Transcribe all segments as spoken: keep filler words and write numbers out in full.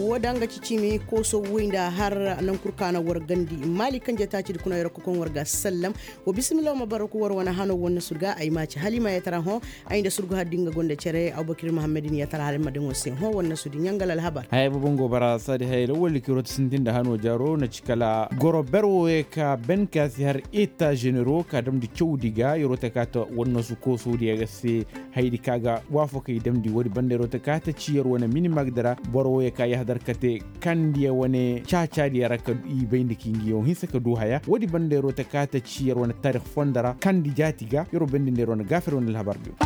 Wo da nga ci ciimi kooso woy nda har naŋ kul ka na war gandi maali kanje taacidi kuna yeroko kaŋ war ga sallam. Wa bisimilla wa ma bara ku war wane hano wannasu ga ay ma ci halima yatara hõ. Ay nda surgu har di nga gonda cere abubakir muhammadin yatara halima din wo se hõ wannasu di ɲangal alhabar. Haya boobo nga wo bara saadi haya lawalli kiro ti sintin nda hano jaaro na ci kala goro ber wo ye ka ben ka si har eta ženero ka damndi cawdi ga yeroo ta ka ta wannasu kooso diya ga se. Haydi ka ga waafakey damndi woodi banda yeroo ta ka ta ci yer wane minimag dira boro wo ye ka yahadar ka te kandi yer wane caacaadi yer ra ka i bayndi ka i ngi yaŋ hinsa ka du haya woodi banda yeroo ta ka ta ci yer wane taarix fondo ra kandi jaati ga yeroo bayndi nda yer wane gaafir wane alhabar diyo.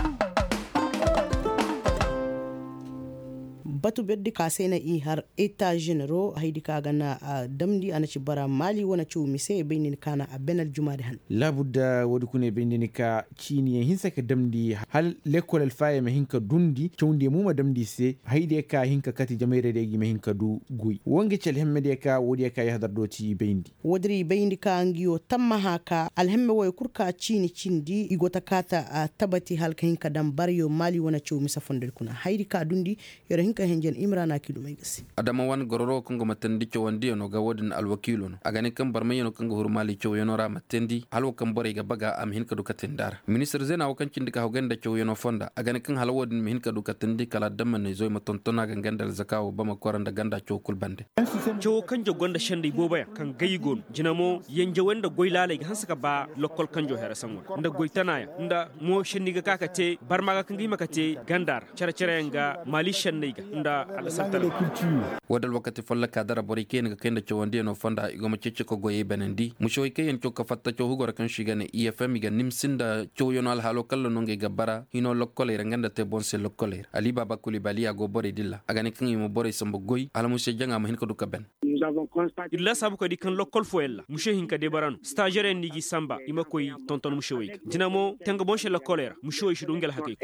Batu berdi ka se na i har eta ženero haydi ka ga na damndi a na ci bara maali wane caw mise bay nin ka na a ben aljumaadi han. Laabudda woodi kuna i bay nda ni ka ciiniyaŋ hinsa ka damndi hala lekkol alfaayaŋ ma hin ka dundi cawndi yaŋ mo ma damndi i se haydiyaŋ ka hin ka kati jamayradiyaŋ ga i ma hin ka du goy wo nga ci alhemmediyaŋ ka woodiyaŋ ka yahadar do ti i bayndi. Woodin i bayndi ka ngi wo tammaha ka alhemme woy kul ka ciini cindi i go ta kaata tabati hala ka hin ka daŋ baryo maali wane caw mise fondodi kuna haydi ka dundi. Yer hin ka henjen imrana kiilumey ga se. Adama wane gororo kaŋ go ma tandi cawandiyaŋo ga woodin alwakiilo no a ga ne kaŋ barmayyaŋo kaŋ ga huru maali cawyaŋo ra ma tandi hala wo kaŋ borey ga baga a ma hin ka du ka tandi a ra ministir zeena wo kaŋ cindi ka hawgay nda cawyaŋo fonda a ga ne kaŋ hala woodin ma hin ka du ka tandi kala adammaney zoy ma tonton a ga nga nda alzaka wo ba ma kora nda ganda caw kul bande. Cawo kanjo gonda sendey booboyaŋ kaŋ gay go no jina mo yanjawey nda goy laaley ga hanse ka ba lokkol kanjo here saŋo ra nda goy tanayaŋ nda mo senni ga ka ka te barma ga kaŋ ga hima ka te ganda ra cere-cereyaŋ ga maali senney ga nda al'asar tana. Wo da alwakati folloka dara borey kaŋ yaŋ ga kay nda cawandiyaŋo fonda i go ma ceeci ka goyey banandi musewey kaŋ yaŋ caw ka fatta caw hugo ra kaŋ se i ga ne i f m i ga nimsi nda cawyaŋo alhaalo kalla no ngey ga bara hino lokkoley ra nga nda te boŋ se lokkoley ra ali baaba kuli baliya go borey dilla a ga ne kaŋ i ma borey samba goy hala muse jaŋa ma hin ka du ka ben. Ir laasaabu ka di kaŋ lokkol fooyaŋ ra muse hinka de bara no stažeryaŋ no i g'i samba i ma koy tonton musewey ga jina mo tanga boŋ se lokkoley ra musewey si du nga alhakey.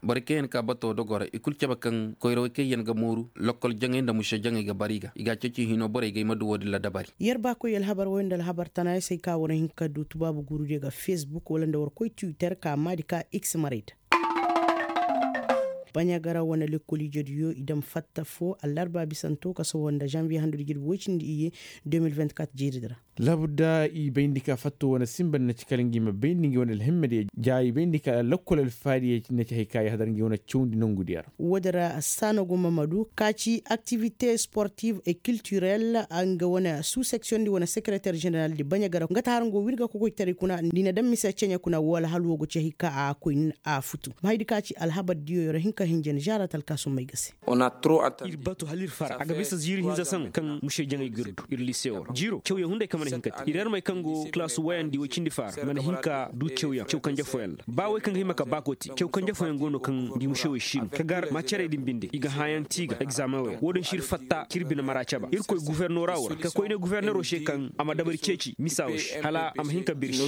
Borey kaŋ yaŋ ka bato dogo ra i kul cabe kaŋ koyrawey kaŋ yaŋ ga mooru lokkol jaŋay nda muse jaŋay ga bara i ga i ga a ceeci hino borey ga i ma du woodin ra dabari. Yer ba koy alhabar woy nda alhabar tana ya se ay ka war hin ka du tubaabu guurudiyo ga facebook wala nda war koy twitter ka maadi ka x maray da. Baɲagara wane lekkoliijediyo i daŋ fatta fo allarba bisanto ka sohõ nda zanviye handudi jirbi woy cindi iyye. De mil vingt-quatre jeeridi ra. Laabudda i bayndi ka fatto wane sinba na ci kala ngi ma bayndi ngi wane alhimmadiyo ja i bayndi ka lakkol alfaadiyo na ci hay ka i hadar ngi wane cawndi nongudiyo ra. Woodin ra saana go mamadu ka ci aktivite sportive et culturel nga wane sous section di wane sekereter ženeral di baɲagara nga ta har nga wo wirga kokoytaray kuna ni na daŋ mise ceɲe kuna wala hala wo go ci hay ka a koy nin a futu ma haydi ka ci alhabar diyo yer hinka hinja ni žaarat alkaasummey ga se. Ir batu hala ir fara a ga bisa ziiri hinza saŋ kaŋ muse jaŋay ga ir du ir lisewo ra jiiro cawyaŋ hunday kaŋ mana hin ka te ir yarmey kaŋ go kalaasu wayandi way cindi faara mana hin ka du cawyaŋ caw kanje fooyaŋ ra ba way kaŋ ga hima ka baako te caw kanje fooyaŋ go no kaŋ di musewey si no ka gar ma cerey din binde i ga hãayaŋ ti ga egzaameŋ way ra wo-din si ir fatta ka ir bine mara caba irkoy gufornora wo ra ka koyne gufornero se kaŋ a ma dabari ceeci misa wo se hala a ma hin ka birsi.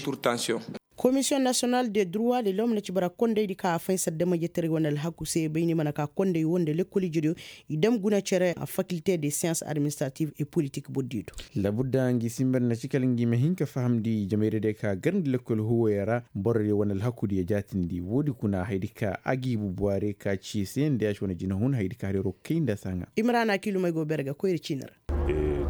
Komisiyoŋ nasiyonal de durwa de lom na ci bara kondey di ka a faynsa dama jetaray wane alhaku se bay ni mana ka kondey wo nda lekkol ijediyo i dam guna cere fakilte de siyans administrative et politik bordiyo do. Labudda ngi sinba na ci kala ngi ma hin ka fahamndi jamayra de ka garndi lekkol huwoyo ra borodiyo wane alhakudiyo jaatindi wo-di kuna haydi ka agiibu buware ka ci se nda ya ci wane jinahun haydi ka har yaro kay nda saŋa. Imrana kiilumey go bere ga koyri ciini ra.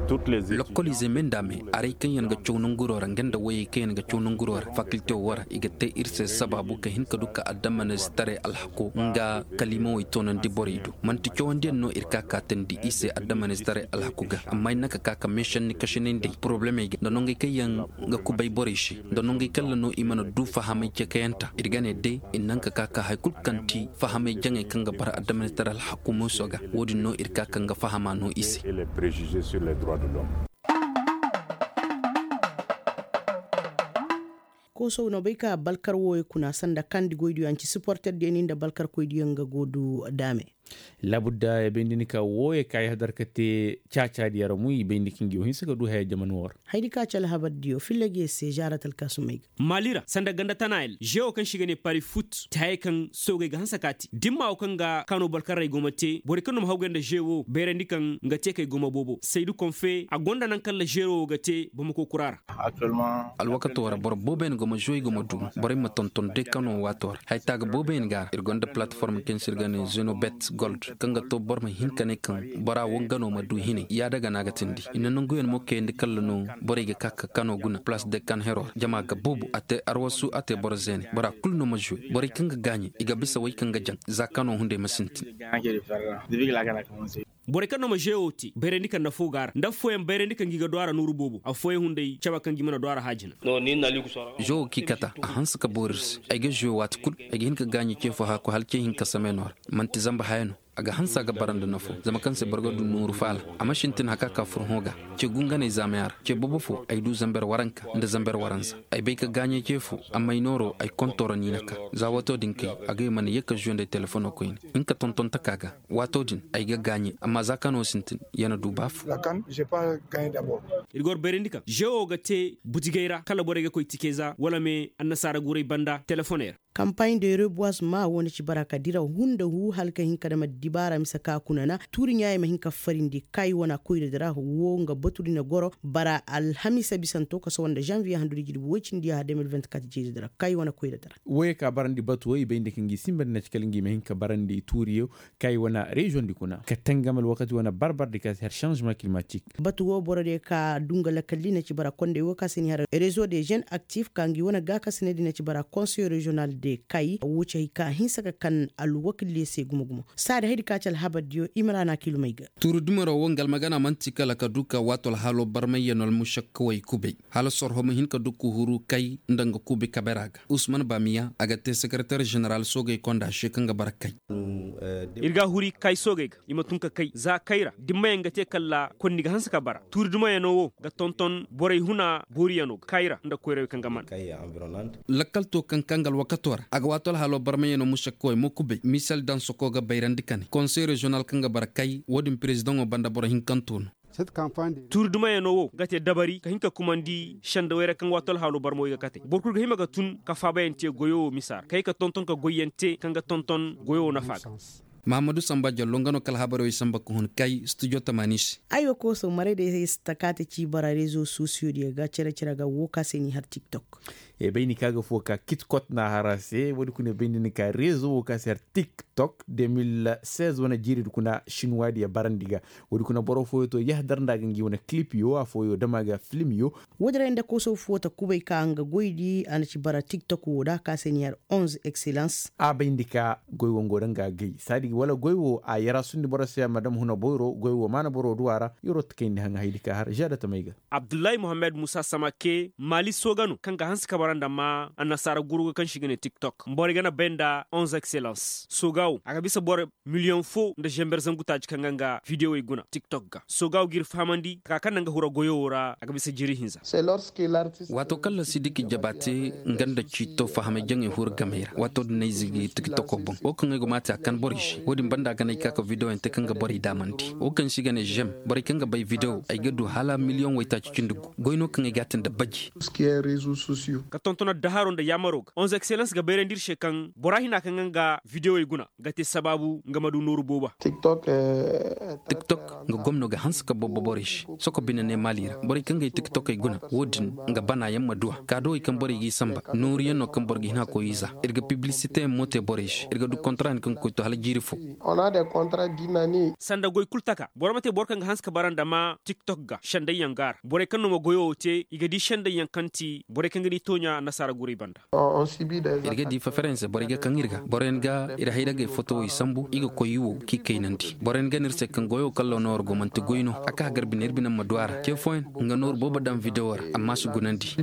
Lokkoliizey me nda me aray kaŋ yaŋ ga caw nanguro ra nga nda wayey kaŋ yaŋ ga caw nanguro ra fakilte wo ra i ga te ir se sabaabu ka hin ka du ka adamanistaray alhako nga kaliimawey toonandi borey do. Man'ti cawandiyaŋ no ir ka kaatandi i se adamanistaray alhako ga amma ir naŋ ka ka ka meesanni kasinay nd'ey porobalemey ga nda nongey kaŋ yaŋ ga kubay borey se nda nongey kaŋ ra no i mana du fahamay cakayanta ir ga ne day ir naŋ ka ka ka hari kulu kaŋ ti fahamay jaŋey kaŋ ga bara adamanistaray alhako muuso ga wo-din no ir ka kaŋ ga fahama no i se. Koosow na bay ka balkar wooyo kuna sanda kandi goydiyo a nci siporterdiyo ni nda balkarkoydiyo nga go du daame. Labudda ya bay nda ni ka wooyo ka ya hadar ka te caacaadiyo ra mu i bay nda ka ngi wo hinsa ka du haya jaman woo ra. Haydi ka ci alhabardiyo filla ga ya se žaarat alkaasumey ga. Maali ra sanda ganda tanaayel žewo kaŋ se i ga ne pari fut ti hayey kaŋ soogey ga hanse ka te dimma wo kaŋ ga kaano balkarrey go ma te borey kaŋ no ma hawgay nda žewo bayrandi kaŋ nga te kay go ma boobo saydu konfe a gonda naŋ kaŋ ra žewo wo ga te bamako kura ra. Alwakato ra boro booboyaŋ go ma žewo i go ma duuma borey ma tonton day kaŋ no waato ra haytaaga booboyaŋ ga ra ir gonda palatform kaŋ se ir ga ne zenobet. gold kaŋ ga to boro ma hin ka ne kaŋ bora wangano ma du hinay yaada ga no a ga tindi i na nanguyaŋ mo kayandi kalla no. Borey ga ka ka kano guna place de kan hero ra jama ga boobo a te arwasu a te boro zeene bora kulu no ma zuwe borey kaŋ ga gaaɲe i ga bisa wey kaŋ ga jaŋ za kano hunday ma sintin. Borey kaŋ no ma žewo te bayrandi kaŋ nda fo ga a ra nda affooyaŋ bayrandi kaŋ ga i ga du a ra nooru boobo affooyaŋ hunday cabe kaŋ ga i mana du a ra haajina. Žewo kaŋ i kata a hanse ka boori ir se ay ga žewo waati kul. Ay ga hin ka gaaɲe ce fo haaku hala ce hinka sameenoo ra man'ti zamba haya no. A ga hanse a ga bara nda nafo zama kaŋ se boro ga du nooru faala. A ma sintin haka ka furhõ ga ce gunganey zaamaya ra ce boobo fo ay du zamber waranka nda zamber waranza. Ay bay ka gaaɲe ce fo amma ay nooro ay kontooro niina ka za waato din kay. A ga ay mana ye ka žuwe nda ay telefono koyne hinka tonton taka ga. Waato din ay ga gaaɲe amma za kano sintin ya na du ba fo. Ir ga war bayrandi kaŋ žewo ga te butigey ra kala borey ga koy tikeza wala me annasaara guray banda telefoney ra. Kampaaɲ de reboisement wo na ci bara ka dira hunda hu hala ka hin ka dama dibaara mise ka kuna na tuuri ɲaayey ma hin ka farindi kaayi wana koyra dira wo nga batu di na goro bara alhamiisa bisanto ka sohõ nda žanviye handudi jirbi woy cindi yaha deux mille vingt-quatre jeeji dira kaayi wana koyra dira. Woyey ka barandi batu wo i bay nda ka ngi sinba nda na ci kala ngi ma hin ka barandi tuuriyo kaayi wana reziyoŋ di kuna ka tangam alwakati wana barbardi ka si har sanzema kilimatik. Batu wo borodiyo ka du nga lakkal di na ci bara kondey wo ka se ni har rezo de žen aktif ka ngi wane gaakasiney di na ci bara konseyo reziyonal de kay wo ci hay ka hinsa ka kan alwakildiyo se gumo gumo. Saadi haydi ka ci alhabardiyo i ma ra na kiilumey ga. Tuuri dumaro wo nga almagana man'ti kala ka du ka waato alhaalo barmayyanoo almušakkawey kubay hala sorho ma hin ka du ka huru kay nda nga kuubi kabera ga usman bamiya a ga te sekereter ženeral soogey konda se kaŋ ga bara kay. Ir ga a huri kay soogey ga i ma tun ka kay za kay ra dimmayaŋ ga te kala konni ga hanse ka bara tuuri dumayanoo wo ga tonton borey huna booriyanoo ga kay ra nda koyrawey kaŋ ga man. Lakkal to kaŋ kaŋ ga alwakato ra a ga waato alhaaloo barmayanoo mušakkawey mo kubay misal daŋ soko ga bayrandi ka ne konsey reziyonal kaŋ ga bara kay wo-din perezidaŋo banda boro hinkanto no. Tuuri dumayanoo wo ga te dabari ka hin ka kumandi sendawey ra kaŋ waato alhaaloo barmawey ga katey boro kul ga hima ga tun ka faabayaŋ te goyo wo misa ra kay ka tonton ka goyyaŋ te kaŋ ga tonton goyo wo nafa ga. Mahammadu samba jallo nga no kala habarey wey samba ka hun kay studio tamaani se. Aywa kooso maray day si ta ka te ci bara rezo sosiyo diyo ga cere cere ga wo ka se ni har tiktok. E bay ni ka ga fo ka kitkot na hara se wo- di kuna bay ni ka rezo wo ka se har tiktok deux mille seize wane jiiri di kuna shinwa diyo barandi ga. Wo- di kuna boro fooyo to yahdar nda ga ngi wane kilip yo afooyo dama ga filim yo. Wo- din ra nda kooso fo ta kubay ka nga goy di a na ci bara tiktok wo da ka se ni har onze excellence. A bayndi ka goy wo ngo da nga gay saadi wala goy wo a yara sundi boro se a ma dam huna boyro goy wo maana boro du a ra. Yaro ta kayndi haŋa haydi ka har žada tamay ga. Abdullahi muhammad musa samake maali sooga no kaŋ ga hanse ka bara nda ma annasaara guruga kaŋ se i ga ne tiktok borey ga na bay nda onze excellence sooga wo a ga bisa boro miliyoŋ fo nda zember zangu taaci kaŋ ga nga vidiyowey guna tiktok ga sooga wo g'ir fahamandi taka kaŋ na nga hura goyo wo ra a ga bisa jiri hinza. Waato kaŋ la sidiki jaba te nga nda ciito fahamay jaŋey huru gamey ra waato din no ay zigi tiktoko boŋ wo kaŋ ay go ma te a kan borey se wo- din banda a ga no ay ka ka vidiyoyaŋ te kaŋ ga borey daamandi wo kaŋ se i ga ne žem borey kaŋ ga bay vidiyo ay ga du hala miliyoŋ waytaaci cindi gu goy no kaŋ ay ga a te nda baji. Ka tonton addaharoo nda yaamaro ga onze excellence ga bayrandi ir se kaŋ bora hina kaŋ ga nga vidiyowey guna ga te sabaabu nga ma du nooru booba. Tiktok nga gomno ga hanse ka boobo borey se soko bine ne maali ra borey kaŋ ga ay tiktokey guna wo- din nga banaayaŋ ma du a kaadowey kaŋ borey g'i samba nooruyaŋ no kaŋ boro ga hin a koy iza ir ga piblisiteyaŋ mo te borey se ir ga du kontaraayaŋ kaŋ ga koy to hala jiiri fo. Sanda goy kul taka boro ma te boro kaŋ ga hanse ka bara nda ma tiktok ga sendayyaŋ ga a ra borey kaŋ no ma goyo wo te i ga di sendayyaŋ kaŋ ti borey kaŋ ga di tooɲa annasaara guray banda. Ir ga di fafaranse borey ga kaŋ ir ga boroyaŋ ga ir hayragey fotowey sambu i ga koy i wo k'i kaynandi boroyaŋ ga no ir se kaŋ goyo kaŋ loonoo war go man'ti goy no a ka hagar bine ir bine ma du a ra ce fooyaŋ nga nooru boobo daŋ videwo ra amma si gunandi.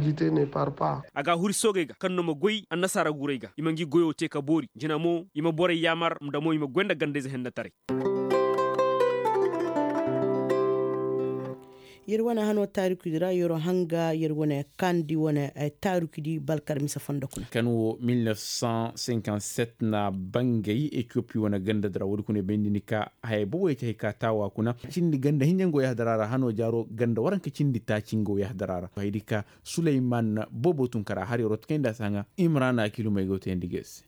A ga a huri soogey ga kaŋ no ma goy annasaara guray ga i ma ngi goyo te ka boori jina mo i ma borey yaamar nda mo i ma goy nda gandayze hennetaray. Yer wane hano taarikudi ra yer hanga yer wane kaandi wane taarikudi balkar mise fondo kuna. Kan wo mil nef san sinkanset na bangay etiyopi wane ganda dira wodi kuna bay nini ka haya bobo yeti hay ka taawa kuna cindi ganda hinjango yahdara ra hano jaaro ganda waranka cindi taacingo yahdara ra hay di ka suleyman bobo tunkara har yer wo tukay nda si haŋa imrana kilumay go tayandi ga yer se.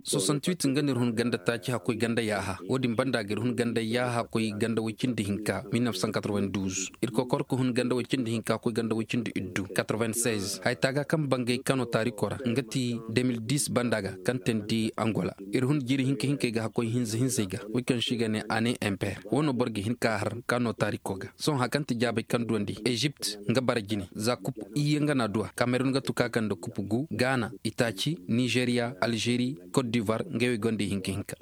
Soixante-huit nga no ir hun ganda taaci hakkoy ganda yaaha. Wo-din banda ga ir hun ganda yaaha koy ganda woy cindi hinka mil neuf cent quatre-vingt-douze. Ir kokor ka hun ganda woy cindi hinka koy ganda woy cindi iddu quatre-vingt-seize. Haya taaga kaŋ bangay kano taariko ra nga ti deux mille dix banda ga kaŋ teendi angola. Ir hun jiiri hinka hinkey ga hakkoy hinza hinzey ga. Woy kaŋ se i ga ne année impaire wo no boro ga hin ka har kano taariko ga. Sohõ hari kaŋ ti jaabey kaŋ duwandi ezipt nga bara jine za kupu iyye nga na a duwa kamerun ga tuka kaŋ nda kupu gu gaana, itaaci, nizeriya, alžeri, kot divoir ngey wo i gonda ihinka hinka.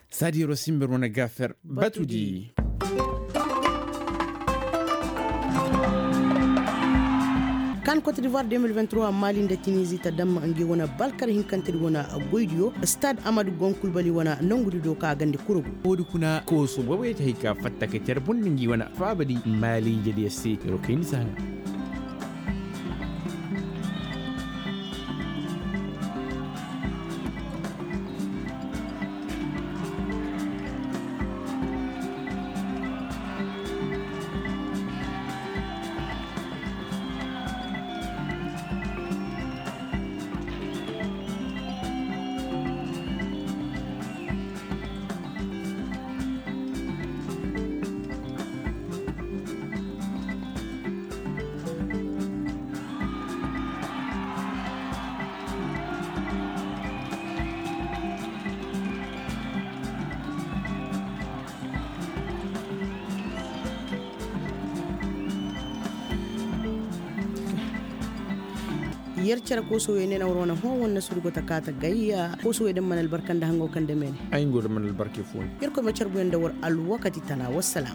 Saadi yeroo simber wane gaafer batudi. Kan kot divoir deux mille vingt-trois maali nda tinizi ta damma ngi wane balkar hinkantedi wane goydiyo stade amadu gonkulbali wane nongudi do ka gandi kurugu. Woodi kuna kooso boboyey ta hay ka fatta ka car bondi ngi wane faabadi maali jadiya se yeroo kayndi saha. Yer cere koosowey ne na war wane hõ wane na surugo ta kaata gayya koosowey da mana albarka nda hango kaŋ da meene. Ay ngo da mana albarka fooni. Yer koy ma carbuyaŋ da war alwakati tana wassalaam.